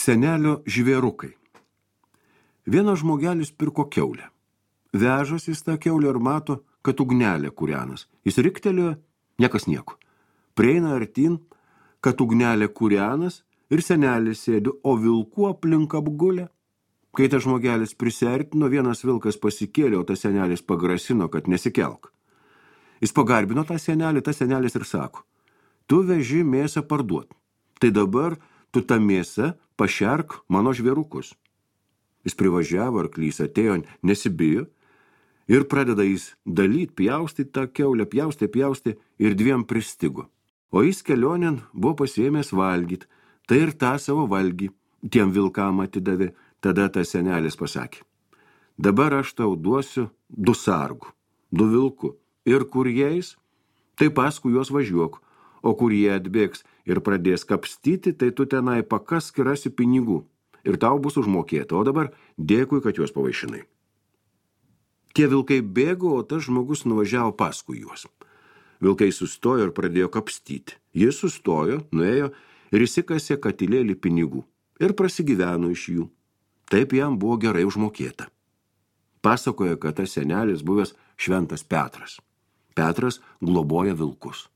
Senelio žvėrukai. Vienas žmogelis pirko kiaulę. Vežas jis tą kiaulę ir mato, kad ugnelė kūrenas. Jis riktelėjo, niekas nieko. Prieina artin, kad ugnelė kūrenas ir senelis sėdi, o vilkų aplink apgulė. Kai tas žmogelis prisiartino, vienas vilkas pasikėlė, o tas senelis pagrasino, kad nesikelk. Jis pagarbino tą senelį, tas senelis ir sako, tu veži mėsą parduot. Tai dabar tu tą mėsą pašerk mano žvėrukus. Jis privažiavo, arklys atėjo, nesibijo ir pradeda jis dalyt, pjaustyti tą kiaulę, pjaustė ir dviem pristigo. O jis kelionėn buvo pasiėmęs valgyt, tai ir tą savo valgį tiem vilkam atidavė. Tada tas senelis pasakė, dabar aš tau duosiu 2 sargų, 2 vilkų, ir kur jais, tai paskui juos važiuok, o kur jie atbėgs ir pradės kapstyti, tai tu tenai pakask ir rasi pinigų, ir tau bus užmokėta, o dabar dėkui, kad juos pavaišinai. Tie vilkai bėgo, o tas žmogus nuvažiavo paskui juos. Vilkai sustojo ir pradėjo kapstyti. Jis sustojo, nuėjo ir įsikasė katilėlį pinigų ir prasigyveno iš jų. Taip jam buvo gerai užmokėta. Pasakoja, kad tas senelis buvęs šventas Petras. Petras globoja vilkus.